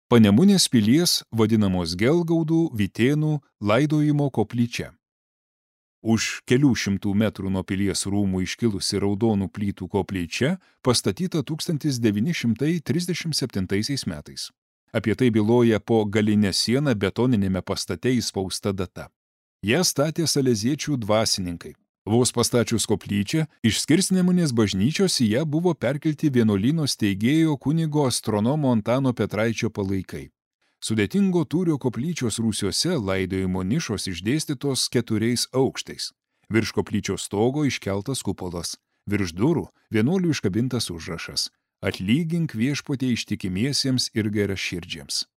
Panemunės pilies vadinamos Gelgaudų Vytėnų laidojimo koplyčia. Už kelių šimtų metrų nuo pilies rūmų iškilusi raudonų plytų koplyčia pastatyta 1937 metais. Apie tai byloja po galinę sieną betoninėme pastate įspausta data. Ją statė saleziečių dvasininkai. Vos pastačius koplyčią, iš Skirsnemunės bažnyčios į ją buvo perkelti vienuolyno steigėjo kunigo astronomo Antano Petraičio palaikai. Sudėtingo tūrio koplyčios rūsiuose laidojimo nišos išdėstytos 4 aukštais. Virš koplyčios stogo iškeltas kupolas. Virš durų vienuolių iškabintas užrašas: Atlygink viešpatie ištikimiesiems ir geraširdžiams.